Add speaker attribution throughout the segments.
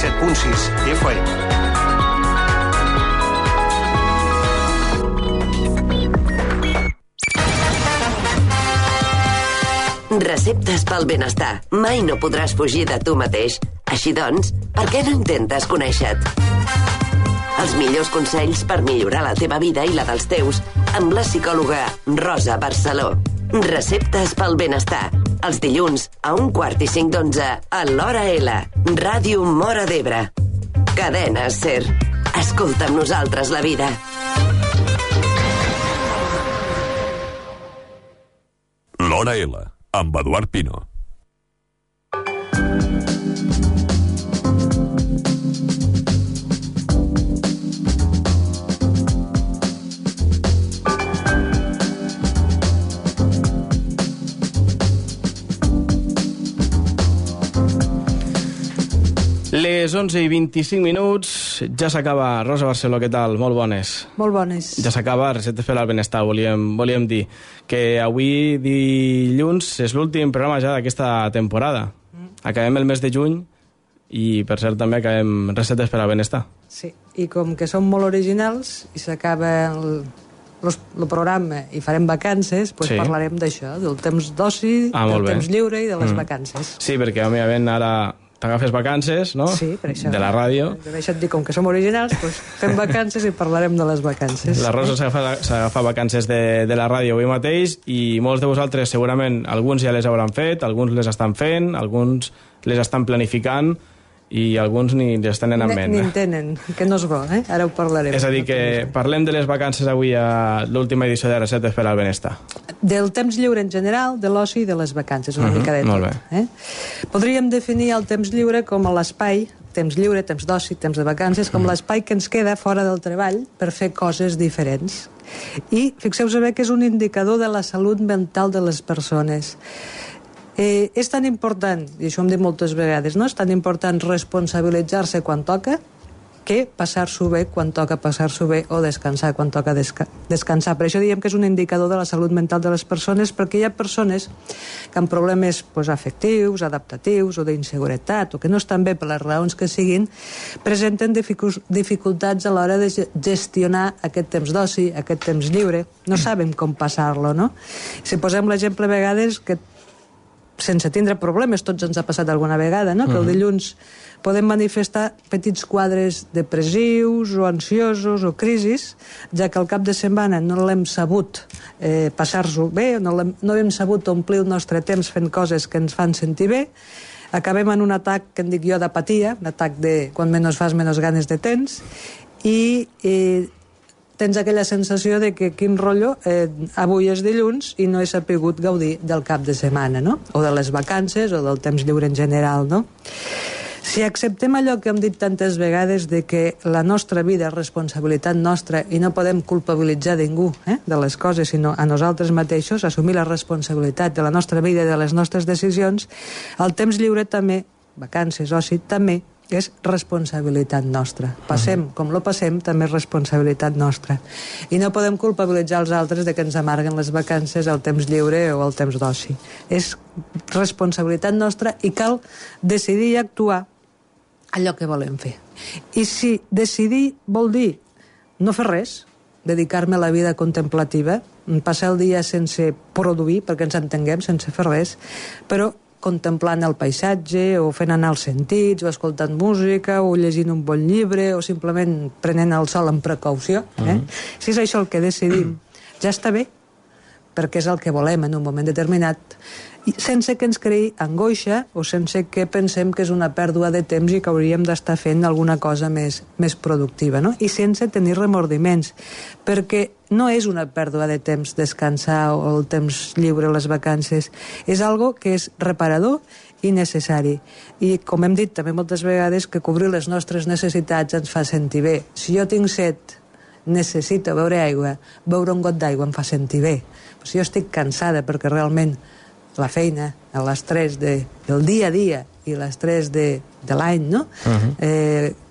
Speaker 1: 97.6 FM.
Speaker 2: Receptes pel benestar. Mai no podràs fugir de tu mateix. Així doncs, per què no intentes conèixer-te? Els millors consells per millorar la teva vida i la dels teus amb la psicòloga Rosa Barceló. Receptes pel benestar. Els dilluns a 1:45 a l'Hora L. Ràdio Móra d'Ebre. Cadena SER. Escolta amb nosaltres la vida.
Speaker 3: L'Hora L, amb Eduard Pino.
Speaker 4: Les 11:25, ja s'acaba. Rosa Barceló, què tal? Molt bones.
Speaker 5: Molt bones.
Speaker 4: Ja s'acaba Receptes per al benestar, volíem dir. Que avui, dilluns, és l'últim programa ja d'aquesta temporada. Acabem el mes de juny i, per cert, també acabem Receptes per al benestar.
Speaker 5: Sí, i com que som molt originals i s'acaba el programa i farem vacances, doncs parlarem d'això, del temps d'oci, del temps lliure i de les vacances.
Speaker 4: Sí, perquè, òbviament, ara t'agafes vacances, no?
Speaker 5: Sí, per això.
Speaker 4: De la ràdio.
Speaker 5: Per això et dic, com que som originals, doncs fem vacances i parlarem de les vacances.
Speaker 4: La Rosa s'agafa vacances de la ràdio avui mateix i molts de vosaltres, segurament, alguns ja les hauran fet, alguns les estan fent, alguns les estan planificant i alguns ni les tenen en ment.
Speaker 5: Ni en tenen, que no és bo, eh? Ara ho parlarem.
Speaker 4: És a dir, que parlem de les vacances avui a l'última edició de Receptes per al benestar.
Speaker 5: Del temps lliure en general, de l'oci i de les vacances, una mica de tot.
Speaker 4: Molt bé.
Speaker 5: Podríem definir el temps lliure com l'espai, temps lliure, temps d'oci, temps de vacances, com l'espai que ens queda fora del treball per fer coses diferents. I fixeu-vos bé que és un indicador de la salut mental de les persones. És tan important, i això ho hem dit moltes vegades, no? És tan important responsabilitzar-se quan toca que passar-s'ho bé quan toca passar-s'ho bé o descansar quan toca descansar. Per això diem que és un indicador de la salut mental de les persones, perquè hi ha persones que amb problemes afectius, adaptatius o d'inseguretat, o que no estan bé per les raons que siguin, presenten dificultats a l'hora de gestionar aquest temps d'oci, aquest temps lliure. No saben com passar-lo, no? Si posem l'exemple a vegades que sense tindre problemes, tots ens ha passat alguna vegada, no? Que el dilluns podem manifestar petits quadres depressius o ansiosos o crisis, ja que al cap de setmana no l'hem sabut passar-s'ho bé, no hem sabut omplir el nostre temps fent coses que ens fan sentir bé, acabem en un atac que en dic jo d'apatia, un atac de quan menys fas, menys ganes de tens, i tens aquella sensació de que quin rotllo, avui és dilluns i no he sapigut gaudir del cap de setmana, no? O de les vacances o del temps lliure en general, no? Si acceptem allò que hem dit tantes vegades de que la nostra vida és responsabilitat nostra i no podem culpabilitzar ningú de les coses, sinó a nosaltres mateixos, assumir la responsabilitat de la nostra vida i de les nostres decisions, el temps lliure també, vacances, oci, també és responsabilitat nostra. Passem com lo passem, també és responsabilitat nostra. I no podem culpabilitzar els altres de que ens amarguen les vacances, el temps lliure o el temps d'oci. És responsabilitat nostra i cal decidir i actuar allò que volem fer. I si decidir vol dir no fer res, dedicar-me a la vida contemplativa, passar el dia sense produir, perquè ens entenguem, sense fer res, però contemplant el paisatge, o fent anar els sentits, o escoltant música, o llegint un bon llibre, o simplement prenent el sol amb precaució. Si és això el que decidim, ja està bé, perquè és el que volem en un moment determinat, sense que ens creï angoixa o sense que pensem que és una pèrdua de temps i que hauríem d'estar fent alguna cosa més productiva, no? I sense tenir remordiments, perquè no és una pèrdua de temps descansar o el temps lliure, les vacances. És algo que és reparador i necessari. I, com hem dit també moltes vegades, que cobrir les nostres necessitats ens fa sentir bé. Si jo tinc set, necessito beure aigua, beure un got d'aigua em fa sentir bé. Però si jo estic cansada perquè realment la feina, l'estrès del dia a dia i l'estrès de l'any, no?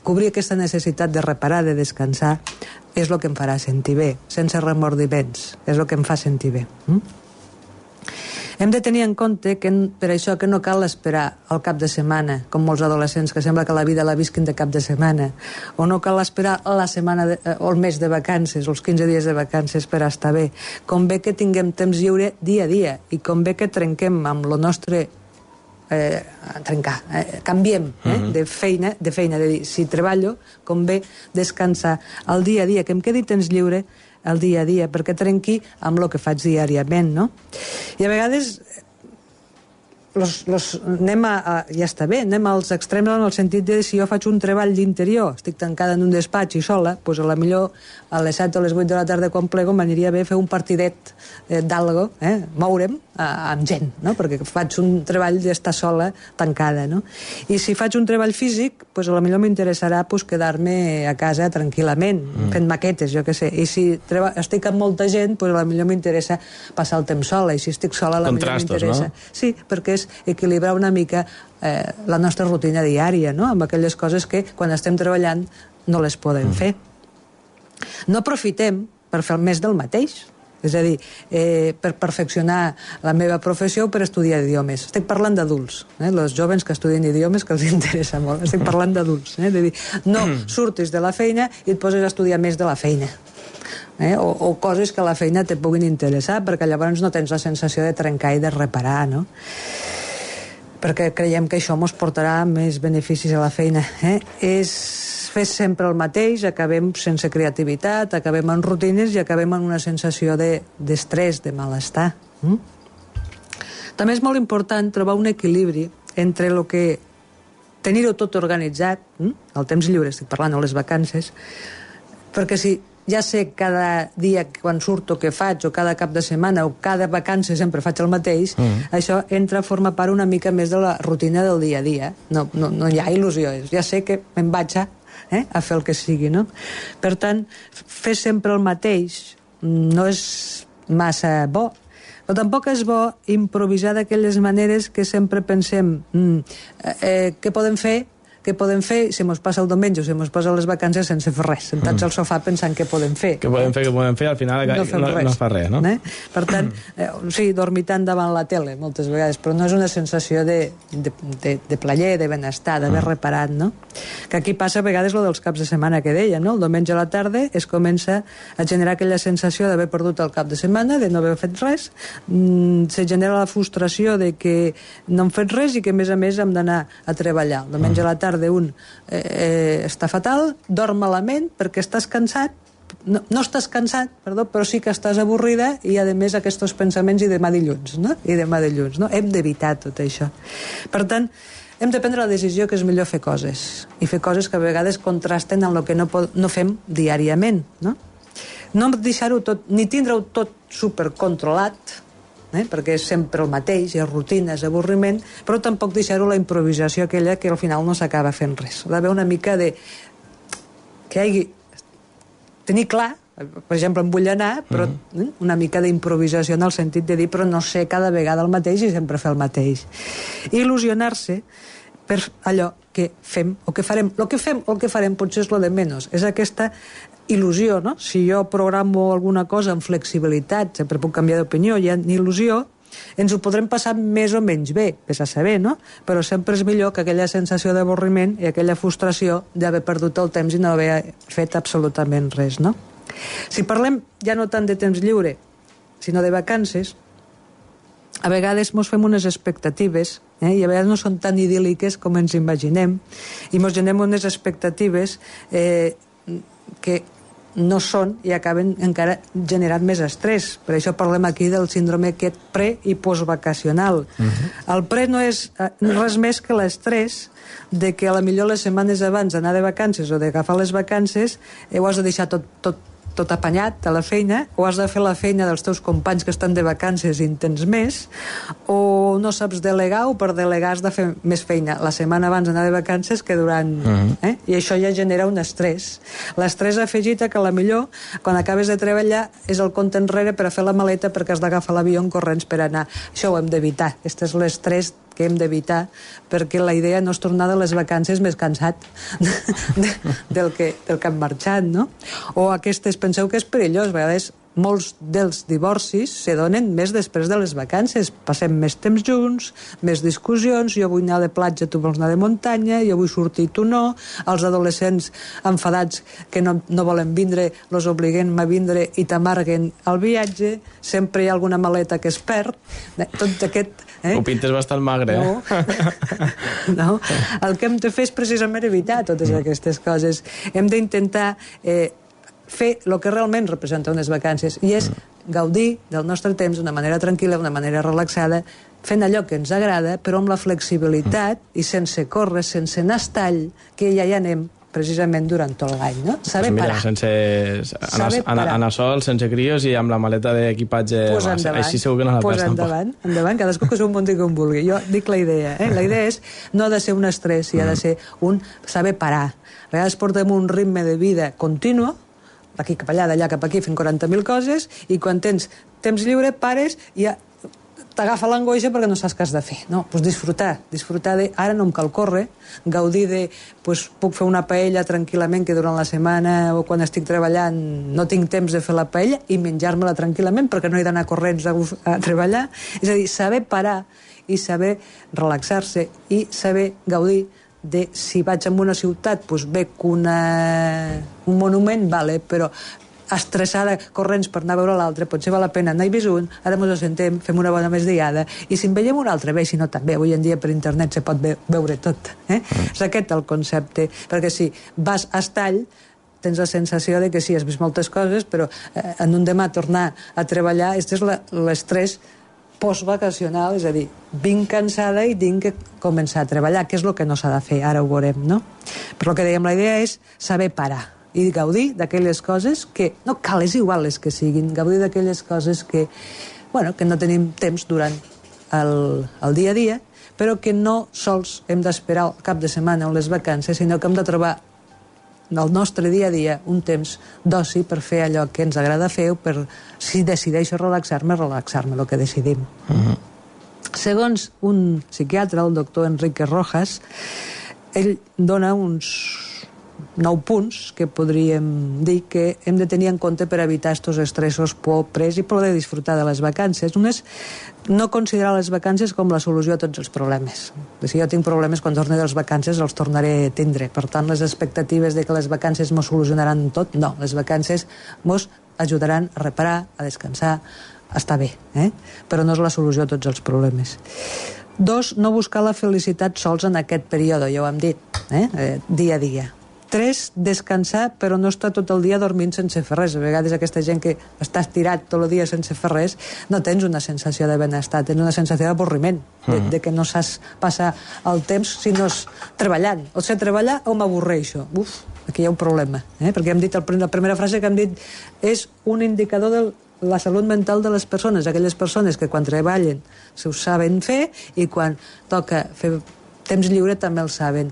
Speaker 5: Cobrir aquesta necessitat de reparar, de descansar, és el que em farà sentir bé, sense remordiments, és el que em fa sentir bé. Hem de tenir en compte que per això que no cal esperar al cap de setmana, com molts adolescents que sembla que la vida la visquin de cap de setmana, o no cal esperar la setmana o el mes de vacances, o els 15 dies de vacances per estar bé. Convé que tinguem temps lliure dia a dia i convé que trenquem amb el nostre canviem de feina, de dir, si treballo, convé descansar el dia a dia, que em quedi temps lliure el dia a dia, perquè trenqui amb el que faig diàriament, no? I a vegades ja està bé, anem als extrems en el sentit de si jo faig un treball d'interior, estic tancada en un despatx i sola, doncs a la millor a les 7 o les 8 de la tarda quan plego m'aniria bé fer un partidet d'algo, moure'm amb gent, no? Perquè faig un treball d'estar sola tancada, no? I si faig un treball físic, doncs a la millor m'interessarà quedar-me a casa tranquil·lament, fent maquetes, jo què sé. I si estic amb molta gent, doncs a la millor m'interessa passar el temps sola, i si estic sola a la millor m'interessa. No? Sí, perquè és equilibrar una mica la nostra rutina diària, no? Amb aquelles coses que quan estem treballant no les podem fer. No aprofitem per fer més del mateix, és a dir, per perfeccionar la meva professió o per estudiar idiomes. Estic parlant d'adults, els joves que estudien idiomes, que els interessa molt. Estic parlant d'adults, de dir, no surtis de la feina i et poses a estudiar més de la feina. O coses que a la feina te puguin interessar, perquè llavors no tens la sensació de trencar i de reparar, no? Perquè creiem que això ens portarà més beneficis a la feina. És fer sempre el mateix, acabem sense creativitat, acabem en rutines i acabem en una sensació d'estrès, de malestar. També és molt important trobar un equilibri entre el que tenir-ho tot organitzat, el temps lliure, estic parlant, o les vacances, perquè si ja sé cada dia quan surto què faig, o cada cap de setmana, o cada vacança sempre faig el mateix, això entra a formar part una mica més de la rutina del dia a dia. No hi ha il·lusió, ja sé que me'n vaig a fer el que sigui, no? Per tant, fer sempre el mateix no és massa bo, però tampoc és bo improvisar d'aquelles maneres que sempre pensem què podem fer, si mos passa el diumenge o si mos passa les vacances sense fer res, sentats al sofà pensant què podem fer.
Speaker 4: Què podem fer, al final no fa res, no?
Speaker 5: Per tant, sí, dormitant davant la tele moltes vegades, però no és una sensació de plaer, de benestar, d'haver reparat, no? Que aquí passa a vegades lo dels caps de setmana que deia, no? El diumenge a la tarda es comença a generar aquella sensació d'haver perdut el cap de setmana, de no haver fet res, se genera la frustració de que no hem fet res i que a més hem d'anar a treballar. El diumenge a la tarda un està fatal, dorm malament perquè estàs cansat, no estàs cansat, perdó, però sí que estàs avorrida i a més aquests pensaments i demà dilluns, no? Hem d'evitar tot això. Per tant, hem de prendre la decisió que és millor fer coses, i fer coses que a vegades contrasten amb el que no fem diàriament, no? No deixar-ho tot, ni tindre-ho tot supercontrolat, perquè és sempre el mateix, és rutina, és avorriment, però tampoc deixar-ho la improvisació aquella que al final no s'acaba fent res. Ha d'haver una mica de... que hi hagi... tenir clar, per exemple, em vull anar, però una mica d'improvisació en el sentit de dir, però no sé cada vegada el mateix i sempre fer el mateix. Il·lusionar-se per allò que fem o que farem. El que fem o el que farem potser és lo de menys. És aquesta il·lusió, no? Si jo programo alguna cosa amb flexibilitat, sempre puc canviar d'opinió, hi ha il·lusió, ens ho podrem passar més o menys bé, vés a saber, no? Però sempre és millor que aquella sensació d'avorriment i aquella frustració d'haver perdut el temps i no haver fet absolutament res, no? Si parlem ja no tant de temps lliure, sinó de vacances, a vegades ens fem unes expectatives i a vegades no són tan idíl·liques com ens imaginem i ens generem unes expectatives que no són i acaben encara generant més estrès. Per això parlem aquí del síndrome aquest pre- i postvacacional. El pre no és res més que l'estrès de que a la millor les setmanes abans d'anar de vacances o d'agafar les vacances ho has de deixar tot apanyat a la feina, o has de fer la feina dels teus companys que estan de vacances i en tens més, o no saps delegar, o per delegar has de fer més feina la setmana abans d'anar de vacances que durant... I això ja genera un estrès. L'estrès afegit que a la millor, quan acabes de treballar, és el compte enrere per a fer la maleta perquè has d'agafar l'avió en corrents per anar. Això ho hem d'evitar. Aquest és l'estrès que hem d'evitar, perquè la idea no és tornar de les vacances més cansat del que hem marxat, no? O aquestes, penseu que és perillós, a vegades molts dels divorcis se donen més després de les vacances. Passem més temps junts, més discussions, jo vull anar de platja, tu vols anar de muntanya, jo vull sortir, tu no, els adolescents enfadats que no volen vindre, los obliguen a vindre i t'amarguen el viatge, sempre hi ha alguna maleta que es perd, tot aquest...
Speaker 4: Ho pintes bastant magre,
Speaker 5: no. No. El que hem de fer és precisament evitar totes aquestes coses. Hem d'intentar fer el que realment representa unes vacances, i és gaudir del nostre temps d'una manera tranquil·la, d'una manera relaxada, fent allò que ens agrada, però amb la flexibilitat i sense córrer, sense anar a tall, que ja hi anem precisament durant tot l'any, no? Saber parar.
Speaker 4: Sense anar sol, sense crios i amb la maleta d'equipatge, així segur que no la perds tampoc.
Speaker 5: Endavant, cadascú que s'ho munti com vulgui. Jo dic la idea, La idea és no ha de ser un estrès, ha de ser un saber parar. A vegades portem un ritme de vida continu, d'aquí cap allà, d'allà cap aquí, fent 40.000 coses, i quan tens temps lliure, pares i t'agafa l'angoixa perquè no saps què has de fer. No, doncs disfrutar de... Ara no em cal córrer, gaudir de... puc fer una paella tranquil·lament, que durant la setmana o quan estic treballant no tinc temps de fer la paella, i menjar-me-la tranquil·lament perquè no he d'anar corrents a treballar. És a dir, saber parar i saber relaxar-se i saber gaudir de si vaig a una ciutat, doncs veig un monument, vale, però estressada, corrents per anar a veure l'altre, potser val la pena anar-hi vis un, ara ens assentem, fem una bona migdiada, i si en veiem un altre, bé, si no també, avui en dia per internet se pot veure tot. És aquest el concepte, perquè si vas a estall, tens la sensació de que sí, has vist moltes coses, però en un demà tornar a treballar, aquest és l'estrès postvacacional, és a dir, vinc cansada i tinc que començar a treballar, que és el que no s'ha de fer, ara ho veurem, no? Però el que dèiem, la idea és saber parar i gaudir d'aquelles coses que, no cal, és igual les que siguin, gaudir d'aquelles coses que, que no tenim temps durant el dia a dia, però que no sols hem d'esperar el cap de setmana o les vacances, sinó que hem de trobar del nostre dia a dia un temps d'oci per fer allò que ens agrada fer, o per, si decideixo relaxar-me, el que decidim. Segons un psiquiatre, el doctor Enrique Rojas, ell dona uns 9 punts que podríem dir que hem de tenir en compte per evitar aquests estressos, pres i poder disfrutar de les vacances. Un és no considerar les vacances com la solució a tots els problemes. Si jo tinc problemes, quan torni de les vacances els tornaré a tindre. Per tant, les expectatives de que les vacances mos solucionaran tot, no. Les vacances mos ajudaran a reparar, a descansar, a estar bé, però no és la solució a tots els problemes. 2, no buscar la felicitat sols en aquest període, ja ho hem dit, dia a dia. 3, descansar, però no estar tot el dia dormint sense fer res. A vegades aquesta gent que està estirat tot el dia sense fer res, no tens una sensació de benestar, tens una sensació d'avorriment, de que no saps passar el temps si no és treballant. O sé treballar o m'avorreixo. Aquí hi ha un problema, perquè hem dit, la primera frase que hem dit és un indicador de la salut mental de les persones, aquelles persones que quan treballen s'ho saben fer i quan toca fer temps lliure també el saben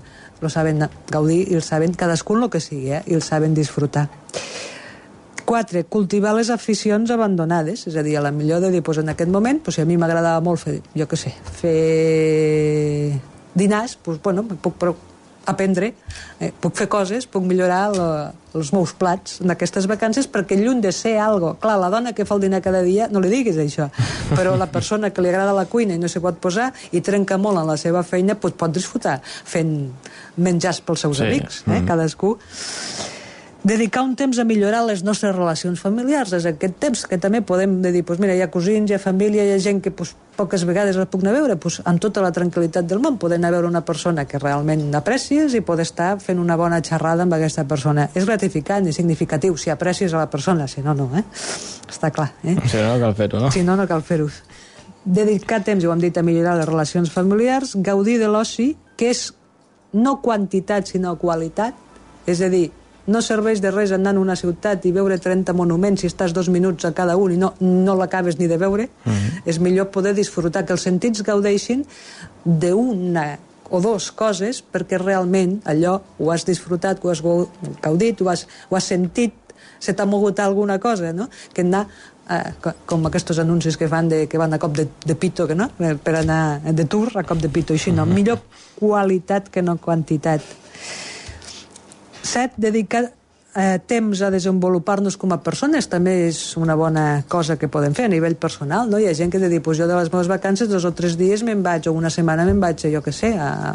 Speaker 5: gaudir i el saben cadascú el que sigui, i el saben disfrutar. 4, cultivar les aficions abandonades, és a dir, a la millor de dir, en aquest moment, si a mi m'agradava molt fer, jo què sé, fer dinars, puc aprendre, puc fer coses, puc millorar els meus plats en aquestes vacances, perquè lluny de ser algo, clar, la dona que fa el dinar cada dia, no li diguis això, però la persona que li agrada la cuina i no s'hi pot posar i trenca molt en la seva feina, pot disfrutar fent menjars pels seus amics, cadascú. Dedicar un temps a millorar les nostres relacions familiars, és aquest temps que també podem dir, mira, hi ha cosins, hi ha família, hi ha gent que poques vegades la puc anar a veure, amb tota la tranquil·litat del món, poder anar a veure una persona que realment aprecies i poder estar fent una bona xerrada amb aquesta persona. És gratificant i significatiu, si aprecies a la persona, si no, no, està clar.
Speaker 4: Si no, no cal fer-ho, no?
Speaker 5: Si no, no cal fer-ho. Dedicar temps, ho hem dit, a millorar les relacions familiars, gaudir de l'oci, que és no quantitat, sinó qualitat, és a dir, no serveix de res anar a una ciutat i veure 30 monuments si estàs 2 minuts a cada un i no l'acabes ni de veure. És millor poder disfrutar, que els sentits gaudeixin d'una o 2 coses perquè realment allò ho has disfrutat, ho has gaudit, ho has sentit, se t'ha mogut alguna cosa, no? Que anar com aquests anuncis que fan que van a cop de pito, no? Per anar de tour a cop de pito, així no. Millor qualitat que no quantitat. 7, dedicar temps a desenvolupar-nos com a persones també és una bona cosa que podem fer a nivell personal, no? Hi ha gent que te diu, pues jo de les meves vacances 2 o 3 dies me'n vaig, o una setmana me'n vaig, jo què sé, a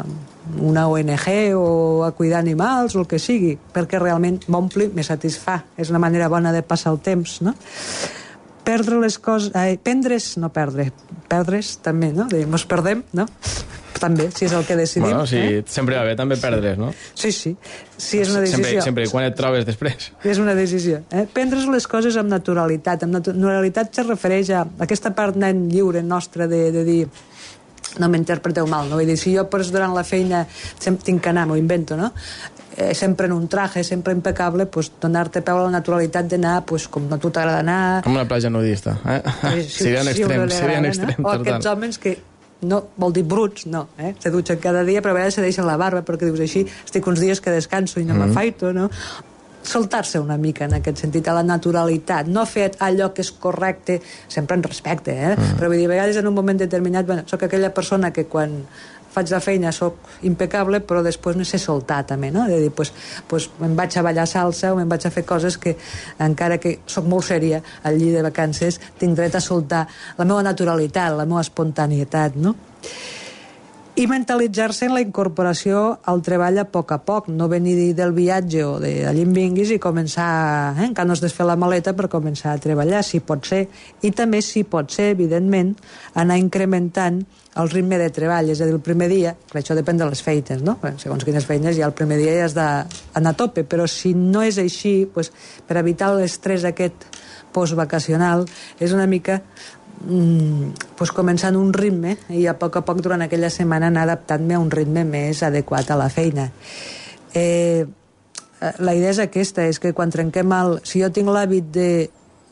Speaker 5: una ONG o a cuidar animals o el que sigui, perquè realment m'ompli, me satisfà. És una manera bona de passar el temps, no? Perdre les coses... prendre's, no perdre. Perdre's també, no? Mos perdem, no? També, si és el que decidim.
Speaker 4: Bueno, sí, sempre va bé també perdre's, no?
Speaker 5: Sí, sí. Sí, és una decisió.
Speaker 4: Sempre, quan et trobes després.
Speaker 5: És una decisió. Prendre's les coses amb naturalitat. Amb naturalitat se refereix a aquesta part nen lliure nostra de dir no m'interpreteu mal, no? Vull dir, si jo durant la feina tinc que anar, m'ho invento, no? Sempre en un traje, sempre impecable, pues, donar-te peu a la naturalitat d'anar pues, com a tu t'agrada anar...
Speaker 4: Com una platja nudista, serien extrems,
Speaker 5: no? O aquests homes que no, vol dir bruts, no, se dutxen cada dia, però a vegades se deixen la barba perquè dius així, estic uns dies que descanso i no m'afaito, no? Soltar-se una mica en aquest sentit, a la naturalitat, no fer allò que és correcte, sempre en respecte, però vull dir, a vegades en un moment determinat, bueno, soc aquella persona que quan faig la feina soc impecable, però després no sé soltar també, no? De dir, pues me'n vaig a ballar salsa o me'n vaig a fer coses que, encara que soc molt sèria al llit de vacances, tinc dret a soltar la meva naturalitat, la meva espontanietat, no? I mentalitzar-se en la incorporació al treball a poc, no venir del viatge o d'allà en vinguis i començar, encara no has de fer la maleta per començar a treballar, si pot ser, i també si pot ser, evidentment, anar incrementant el ritme de treball, és a dir, el primer dia, que això depèn de les feines, no? Segons quines feines, ja el primer dia ja has d'anar a tope, però si no és així, pues, per evitar l'estrès aquest postvacacional, és una mica pues, començant un ritme i a poc durant aquella setmana anar adaptant-me a un ritme més adequat a la feina. La idea és aquesta, és que quan trenquem si jo tinc l'hàbit de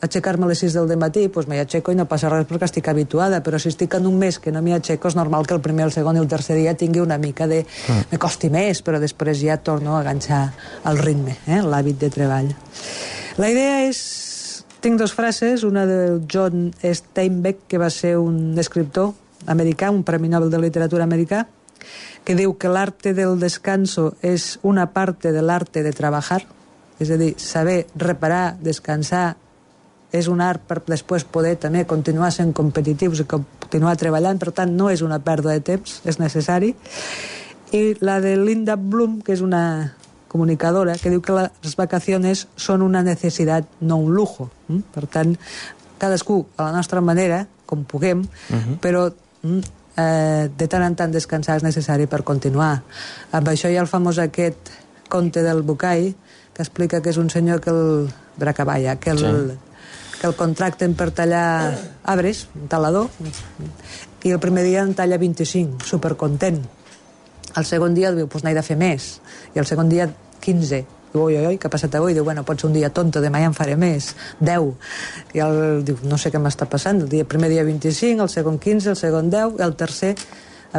Speaker 5: aixecar-me a les 6 del matí, doncs m'hi aixeco i no passa res perquè estic habituada, però si estic en un mes que no m'hi aixeco és normal que el primer, el segon i el tercer dia tingui una mica de... me costi més, però després ja torno a enganxar el ritme, l'hàbit de treball. La idea és... Tinc 2 frases, una de John Steinbeck, que va ser un escriptor americà, un premi Nobel de literatura americà, que diu que l'arte del descanso és una parte del arte de trabajar, és a dir, saber reparar, descansar, és un art per després poder també continuar sent competitius i continuar treballant, per tant no és una pèrdua de temps, és necessari. I la de Linda Bloom, que és una comunicadora, que diu que les vacaciones són una necessitat, no un lujo. Per tant, cadascú a la nostra manera, com puguem, però de tant en tant descansar és necessari per continuar. Amb això hi ha el famós aquest conte del Bucay, que explica que és un senyor que el contracten per tallar arbres, un talador, i el primer dia en talla 25, supercontent. El segon dia diu, doncs n'he de fer més. I el segon dia 15. Diu, oi, què ha passat avui? Diu, bueno, pot ser un dia tonto, demà ja en faré més. 10. I diu, no sé què m'està passant. El primer dia 25, el segon 15, el segon 10, i el tercer,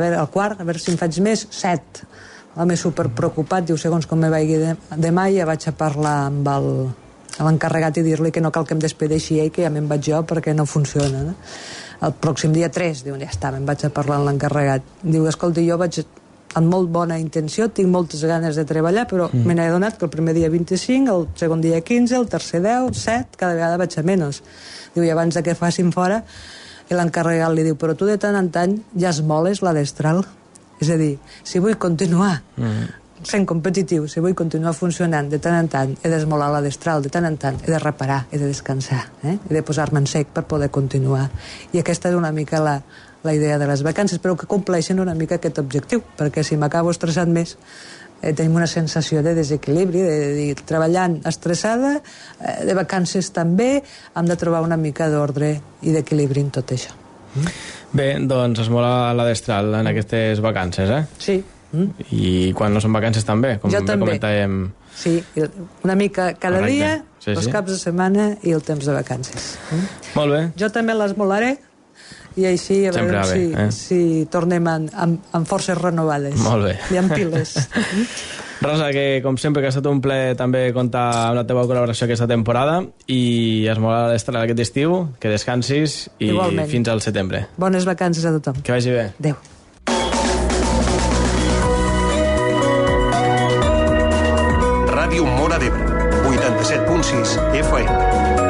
Speaker 5: el quart, a veure si en faig més, 7. L'home superpreocupat, diu, segons com me vagi demà, ja vaig a parlar amb l'encarregat i dir-li que no cal que em despedeixi ell, que ja me'n vaig jo perquè no funciona. No? El pròxim dia 3, diu, ja està, me'n vaig a parlar amb l'encarregat. Diu, escolta, jo vaig amb molt bona intenció, tinc moltes ganes de treballar, però me n'he adonat que el primer dia 25, el segon dia 15, el tercer 10, 7, cada vegada vaig a menys. Diu, i abans que facin fora, i l'encarregat li diu, però tu de tant en tant ja esmoles la destral. És a dir, si vull continuar sent competitiu, si vull continuar funcionant, de tant en tant he d'esmolar la destral, de tant en tant he de reparar, he de descansar, he de posar-me en sec per poder continuar. I aquesta és una mica la idea de les vacances, però que compleixen una mica aquest objectiu, perquè si m'acabo estressant més, tenim una sensació de desequilibri, de dir, treballant estressada, de vacances també, hem de trobar una mica d'ordre i d'equilibri en tot això.
Speaker 4: Bé, doncs es mola la destral en aquestes vacances,
Speaker 5: Sí.
Speaker 4: I quan no són vacances també, com comentàvem.
Speaker 5: Sí, una mica cada dia, els caps de setmana i el temps de vacances.
Speaker 4: Molt bé.
Speaker 5: Jo també les molaré, i així a veure si tornem amb forces renovades.
Speaker 4: Molt bé.
Speaker 5: I amb piles.
Speaker 4: Rosa, que com sempre que ha estat un plaer també comptar amb la teva col·laboració aquesta temporada i es mola l'estrena aquest estiu, que descansis i igualment. Fins al setembre.
Speaker 5: Bones vacances a tothom.
Speaker 4: Que vagi bé.
Speaker 5: Adéu.
Speaker 1: Ràdio Móra d'Ebre, 87.6 FM.